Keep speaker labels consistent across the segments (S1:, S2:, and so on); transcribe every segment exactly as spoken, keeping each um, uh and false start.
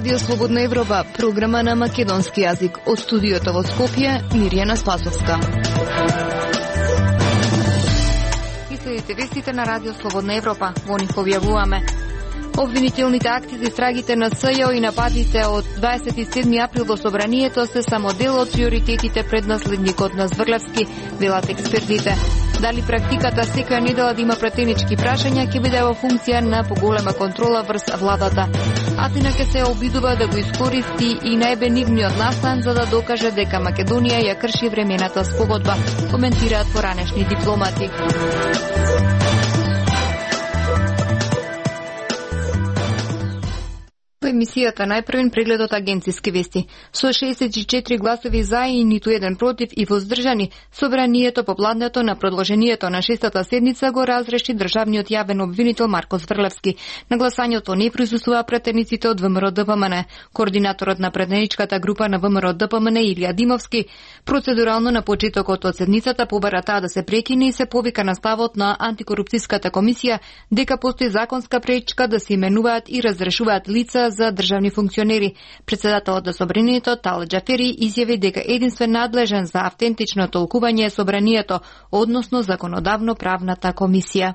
S1: Радио Слободна Европа, програма на македонски јазик. Од студиото во Скопје, Мирјана Спасовска. И следите вестите на Радио Слободна Европа. Во нив објавуваме: обвинителните акти за истрагите на СЈО и нападите од дваесет и седми април во Собранието се само дел од приоритетите пред наследникот на Зврлевски, велат експертите. Дали практиката секоја недела да има пратенички прашања ќе биде во функција на поголема контрола врз владата. Атина ќе се обидува да го искористи и најбенигниот настан за да докаже дека Македонија ја крши времената спогодба, коментираат поранешни дипломати. Во емисијата најпрвен прегледот агенциски вести. Со шеесет и четири гласови за и ниту еден против и воздржани, Собранието попладнето на продолжението на шестата седница го разреши државниот јавен обвинител Марко Зврлевски. На гласањето не присуствуваа пратениците од ВМРО-ДПМН. Координаторот на пратеничката група на ВМРО-ДПМН Илија Димовски процедурално на почетокот од седницата побара таа да се прекине и се повика на ставот на антикорупцијската комисија дека постои законска пречка да се именуваат и разрешуваат лица за државни функционери. Председателот на Собранието Талат Џафери изјави дека единствен надлежен за автентично толкување е Собранието, односно законодавно-правната комисија.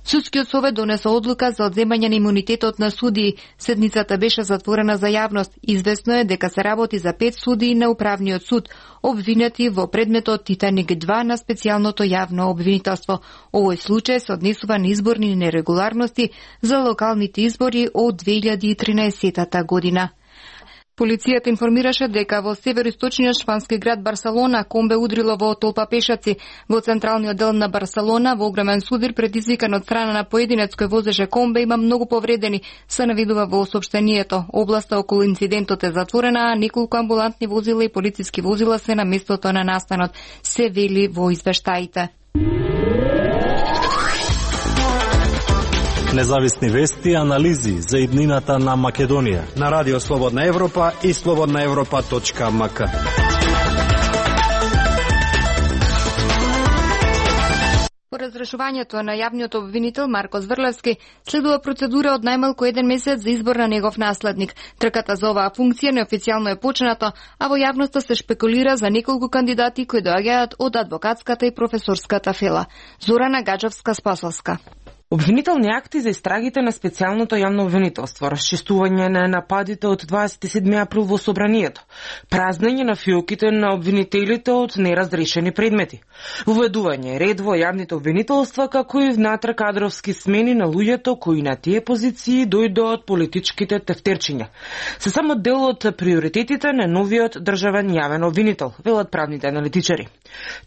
S1: Судскиот совет донесе одлука за одземање на имунитетот на судии. Седницата беше затворена за јавност. Известно е дека се работи за пет судии на управниот суд, обвинети во предметот Титаник два на специјалното јавно обвинителство. Овој случај се однесува на изборни нерегуларности за локалните избори од две илјади и тринаесетта година. Полицијата информираше дека во североисточниот шпански град Барселона комбе удрило во толпа пешаци. Во централниот дел на Барселона во огромен судир предизвикан од страна на поединец кој возеше комбе има многу повредени, се наведува во соопштението. Областа околу инцидентот е затворена, а неколку амбулантни возила и полициски возила се на местото на настанот, се вели во извештаите.
S2: Независни вести и анализи за иднината на Македонија
S3: на Радио Слободна Европа и слободна европа точка ем ка.
S1: По разрешувањето на јавниот обвинител Марко Зврлевски следува процедура од најмалку еден месец за избор на негов наследник. Трката за оваа функција неофицијално е почната, а во јавноста се шпекулира за неколку кандидати кои доаѓаат од адвокатската и професорската фела. Зорана Гаджевска Спасовска.
S4: Обвинителни акти за истрагите на специјалното јавно обвинителство, расчистување на нападите од дваесет и седми април во Собранието, празнење на фиоките на обвинителите од неразрешени предмети, воведување ред во јавните обвинителства, како и внатре кадровски смени на луѓето кои на тие позиции дојдоа од политичките тефтерчиња. Се само дел од приоритетите на новиот државен јавен обвинител, велат правните аналитичари.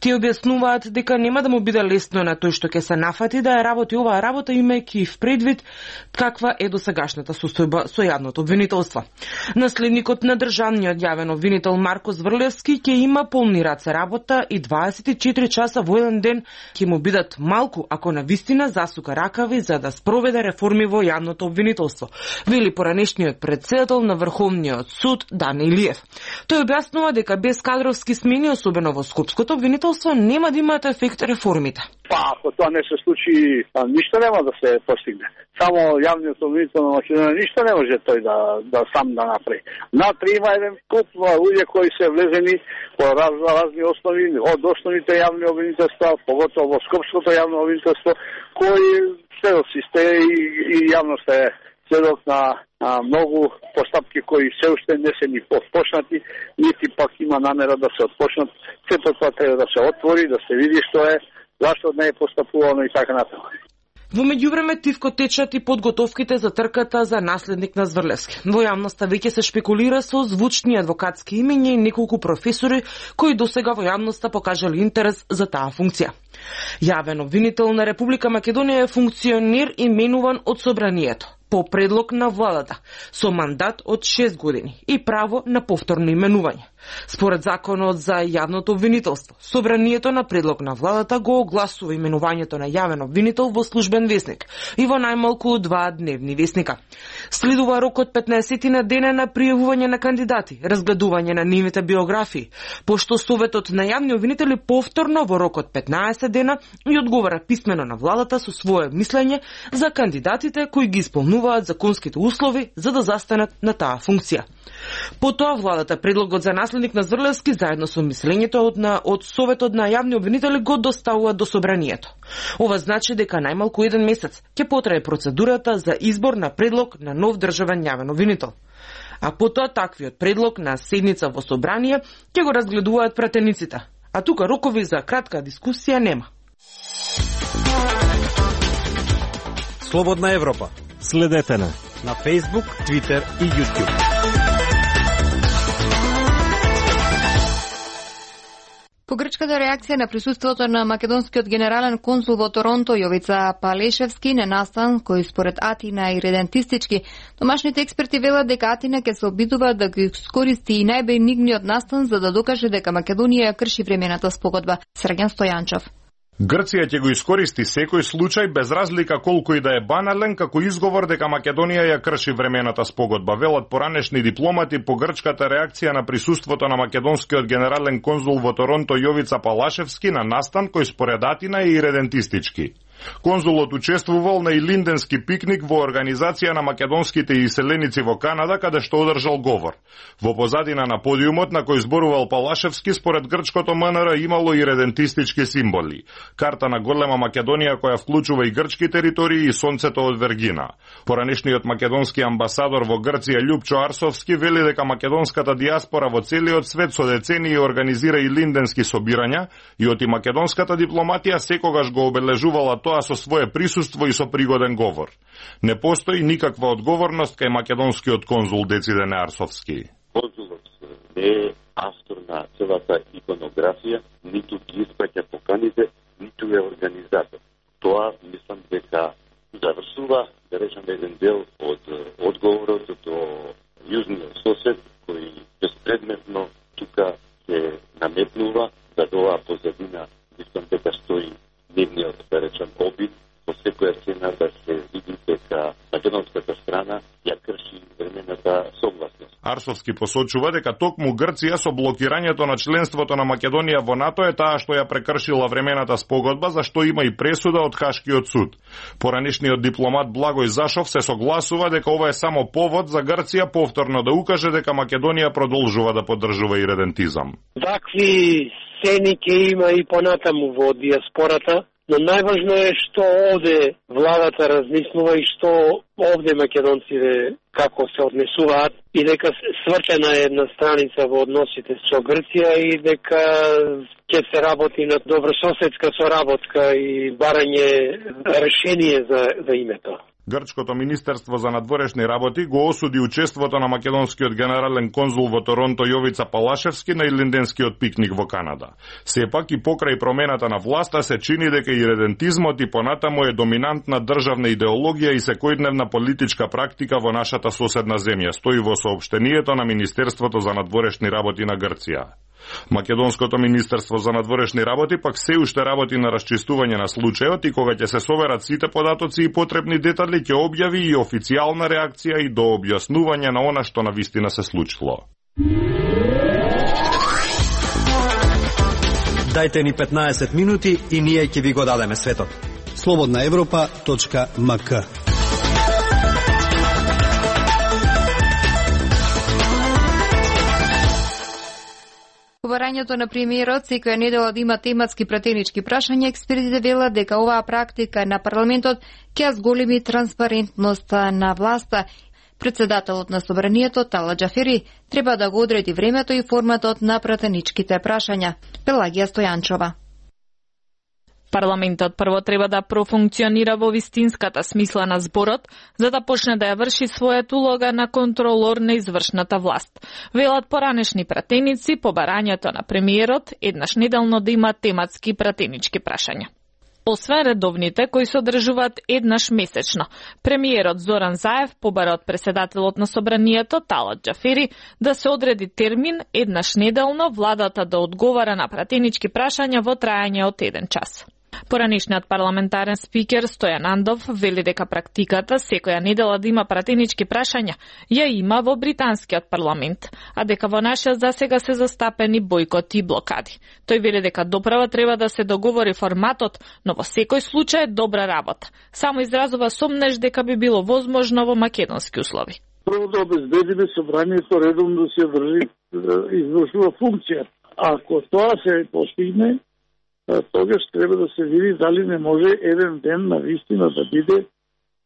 S4: Тие објаснуваат дека нема да му биде лесно на тој што ќе се нафати да ја работи оваа работа, имајќи в предвид каква е досегашната состојба со јавното обвинителство. Наследникот на државниот јавен обвинител Марко Зврлевски ќе има полни раце работа и дваесет и четири часа во еден ден ќе му бидат малку ако на вистина засука ракави за да спроведе реформи во јавното обвинителство, вели поранешниот председател на Врховниот суд Дани Илиев. Тој објаснува дека без кадровски смени, особено во скопското обвинителство, нема да имаат ефект реформите.
S5: Па, ако тоа не се случи, ништо нема да се постигне. Само јавниот обвинител на Македонија ништо не може тој да, да сам да направи. Натре има еден куп луѓе кои се влезени по раз, разни основи, од основните јавни обвинителства, поготово во скопското јавно обвинителство, кои следок си сте и, и јавност е следок на а, многу постапки кои се уште не се ни почнати, нити пак има намера да се отпочнат. Сето тоа треба да се отвори, да се види што е, зашто не е постапувано и така натаму.
S4: Во меѓувреме тивко течат и подготовките за трката за наследник на Зврлевски. Во јавноста веќе се шпекулира со звучни адвокатски имиња и неколку професори кои досега во јавноста покажали интерес за таа функција. Јавен обвинител на Република Македонија е функционер именуван од Собранието по предлог на владата, со мандат од шест години и право на повторно именување. Според законот за јавното обвинителство, Собранието на предлог на владата го огласува именувањето на јавен обвинител во службен весник и во најмалку два дневни весника. Следува рок од петнаесет на дене на пријавување на кандидати, разгледување на нивните биографии, пошто Советот на јавни обвинители повторно во рок од петнаесет дена и одговара писмено на владата со свое мислење за кандидатите кои ги исполнуваат исполнуваат законските услови за да застанат на таа функција. Потоа владата предлогот за наследник на Зрлевски заедно со мислењето од на од Советот на јавни обвинители го доставува до собранието. Ова значи дека најмалку еден месец ќе потрае процедурата за избор на предлог на нов државен јавен обвинител. А потоа таквиот предлог на седница во собрание ќе го разгледуваат пратениците. А тука рокови за кратка дискусија нема.
S3: Слободна Европа.
S2: Следете на
S3: на Facebook, Twitter и YouTube.
S1: По грчката реакција на присуството на македонскиот генерален конзул во Торонто Јовица Палешевски на настан кој според Атина е иредентистички, домашните експерти велат дека Атина ќе се обидува да го искористи и најбенигниот настан за да докаже дека Македонија ја крши времената спогодба. Срген Стојанчов.
S6: Грција ќе го искористи секој случај без разлика колку и да е банален како изговор дека Македонија ја крши времената спогодба, велат поранешни дипломати по грчката реакција на присуството на македонскиот генерален конзул во Торонто Јовица Палашевски на настан кој според Атина е иредентистички. Конзулот учествувал на илинденски пикник во организација на македонските иселеници во Канада, каде што одржал говор. Во позадина на подиумот на кој зборувал Палашевски, според грчкото М Н Р имало иредентистички символи. Карта на голема Македонија која вклучува и грчки територии и сонцето од Вергина. Поранешниот македонски амбасадор во Грција Љупчо Арсовски вели дека македонската диаспора во целиот свет со децении организира илинденски собирања и оти македонската дипломатија секогаш го обележувала тоа со свое присуство и со пригоден говор. Не постои никаква одговорност кај македонскиот конзул Децидене Арсовски.
S7: Конзулот не е автор на целата иконографија, ниту ги испраќа поканите, ниту е организатор. Тоа мислам дека завршува, да речеме, еден дел од одговорот до јужниот сосед, кој безпредметно тука се наметнува, за тоа позадина мислам дека стои нивниот, да речем, обид по секоја цена да се види дека македонската страна ја крши времената согласност.
S6: Арсовски посочува дека токму Грција со блокирањето на членството на Македонија во НАТО е таа што ја прекршила времената спогодба, за што има и пресуда од Хашкиот суд. Поранешниот дипломат Благој Зашов се согласува дека ова е само повод за Грција повторно да укаже дека Македонија продолжува да поддржува иредентизам.
S8: Такви сцени ќе има и понатаму во диаспората, но најважно е што овде владата размислува и што овде македонците како се однесуваат и дека свртена е една страница во односите со Грција и дека ќе се работи на добрососедска соработка и барање решение за, за името.
S6: Грчкото Министерство за надворешни работи го осуди учеството на македонскиот генерален конзул во Торонто Јовица Палашевски на илинденскиот пикник во Канада. Сепак и покрај промената на власта се чини дека иредентизмот и понатаму е доминантна државна идеологија и секојдневна политичка практика во нашата соседна земја, стои во соопштението на Министерството за надворешни работи на Грција. Македонското Министерство за надворешни работи пак се уште работи на расчистување на случајот и кога ќе се соберат сите податоци и потребни детали ќе објави и официјална реакција и до објаснување на она што навистина се случило.
S3: Дајте ни петнаесет минути и ние ќе ви го дадеме светот. слободна европа точка м к.
S1: Побарањето на премиерот секоја недела да има тематски пратенички прашања, експертите велат дека оваа практика на парламентот ќе зголеми транспарентноста на власта. Председателот на собранието Талат Џафери треба да го одреди времето и форматот на пратеничките прашања. Пелагија Стојанчова.
S9: Парламентот прво треба да профункционира во вистинската смисла на зборот, за да почне да ја врши својата улога на контролор на извршната власт. Велат поранешни пратеници, побарањето на премиерот еднаш неделно да има тематски пратенички прашања. Освен редовните кои се одржуваат еднаш месечно, премиерот Зоран Заев побара од председателот на собранието Талат Џафери да се одреди термин еднаш неделно владата да одговара на пратенички прашања во трајање од еден час. Поранишниот парламентарен спикер Стојан Андов вели дека практиката секоја недела да има пратенички прашања ја има во британскиот парламент, а дека во нашиот засега се застапени бойкоти и блокади. Тој вели дека доправа треба да се договори форматот, но во секој случај е добра работа. Само изразува сомнеж дека би било возможно во македонски услови.
S10: Прво да обезбедиме собранието редовно да се држи, извршува функција. Ако тоа се постигне, тогаш треба да се види дали не може еден ден на вистина да биде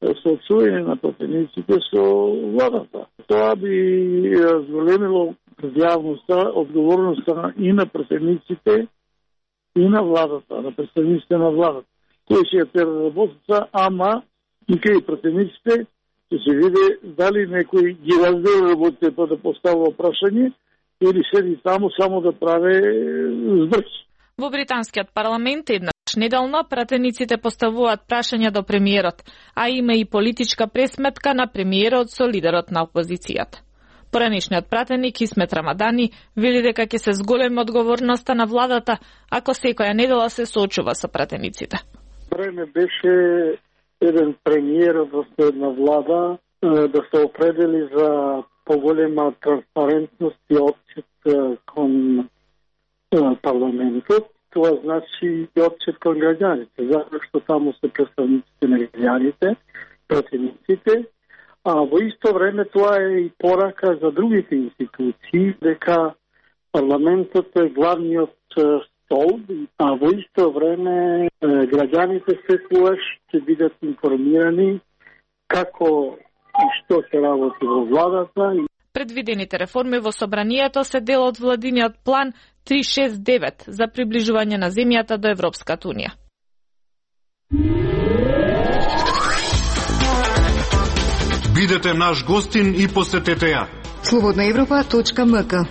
S10: соочување на пратениците со владата. Тоа би зголемило јавноста, одговорноста и на пратениците и на владата, на представниците на владата. Кој ќе ја тера работата, ама и кај пратениците ќе се види дали некој ги раздели работите па да поставува прашање или седи таму само да прави збрч.
S9: Во британскиот парламент еднаш неделно пратениците поставуваат прашања до премиерот, а има и политичка пресметка на премиерот со лидерот на опозицијата. Поранишниот пратеник Исмет Рамадани вели дека ќе се зголеми одговорноста на владата ако секоја недела се соочува со пратениците.
S10: Време беше еден премиер во една влада да се определи за поголема транспарентност и отчет кон парламентот. Това значи и отчет кон граѓаните, затоа што таму се представниците на граѓаните, пратениците, а во исто време тоа е и порака за другите институции, дека парламентот е главниот стол, а во исто време граѓаните секогаш ќе бидат информирани како и што се работи во владата.
S9: Предвидените реформи во собранието се дел од владиниот план три шест девет за приближување на земјата до Европската унија.
S11: Бидете наш гостин и посетете ја.
S1: слободна европа точка ем ка.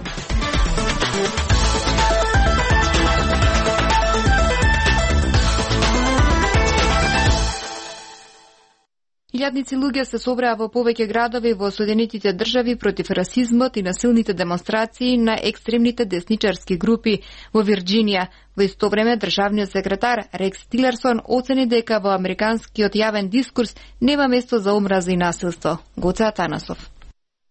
S1: Илјадници луѓе се собраа во повеќе градови во Соединетите држави против расизмот и насилните демонстрации на екстремните десничарски групи во Вирџинија. Во исто време, државниот секретар Рекс Тилерсон оцени дека во американскиот јавен дискурс нема место за омраза и насилство. Гоце Атанасов.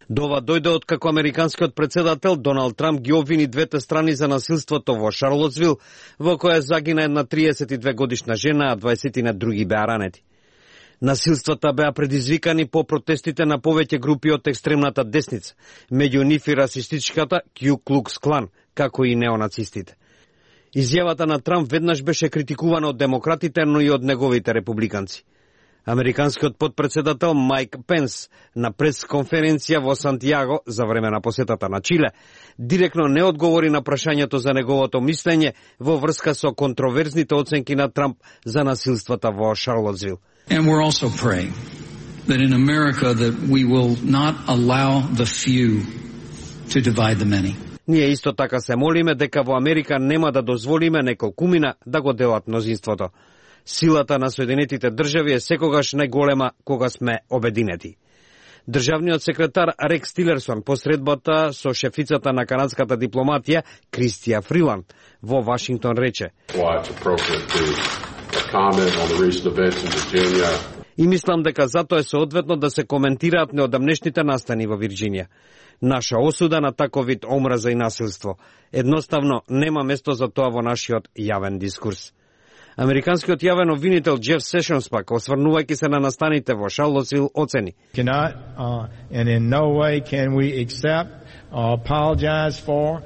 S3: Дова дојде од како американскиот председател Доналд Трамп ги обвини двете страни за насилството во Шарлотсвил, во која загина една триесет и две годишна жена, а дваесет други беа ранети. Насилствата беа предизвикани по протестите на повеќе групи од екстремната десница, меѓу нив и расистичката Ку Клукс Клан, како и неонацистите. Изјавата на Трамп веднаш беше критикувана од демократите, но и од неговите републиканци. Американскиот подпредседател Майк Пенс на пресконференција во Сантијаго за време на посетата на Чиле директно не одговори на прашањето за неговото мислење во врска со контроверзните оценки на Трамп за насилствата во Шарлотсвил.
S12: And we're also praying that in America that we will not allow the few to divide the many.
S3: Ние исто така се молиме дека во Америка нема да дозволиме неколкумина да го делат мнозинството. Силата на Соединетите држави е секогаш најголема кога сме обединети. Државниот секретар Рекс Тилерсон посредбата со шефицата на канадската дипломатија Кристија Фриланд во Вашингтон рече: И мислам дека затоа е соодветно да се коментираат неодамнешните настани во Вирџинија. Наша осуда на таков вид омраза и насилство. Едноставно нема место за тоа во нашиот јавен дискурс. Американскиот јавен обвинител Джеф Сешонс пак, осврнувајќи се на настаните во Шарлотсвил, оцени:
S13: Cannot, uh, and in no way can we accept or apologize for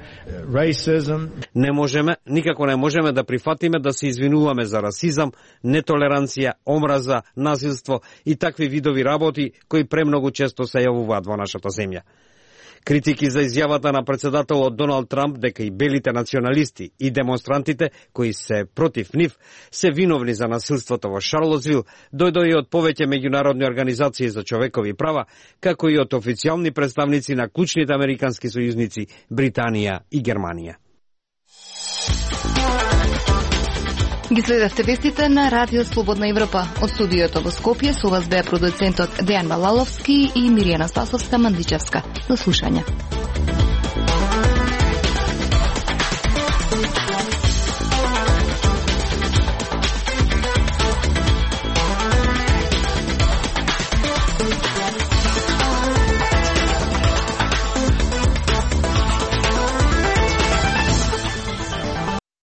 S13: racism.
S3: Не можеме, никако не можеме да прифатиме да се извинуваме за расизам, нетолеранција, омраза, насилство и такви видови работи кои премногу често се јавуваат во нашата земја. Критики за изјавата на председателот Доналд Трамп дека и белите националисти и демонстрантите кои се против нив се виновни за насилството во Шарлотсвил дојдоа и од повеќе меѓународни организации за човекови права, како и од официјални представници на клучните американски сојузници Британија и Германија.
S1: Ги следевте вестите на Радио Слободна Европа. Од студиото во Скопје со вас беа продуцентот Дејан Балаловски и Миријана Стасовска Мандичевска. До слушање.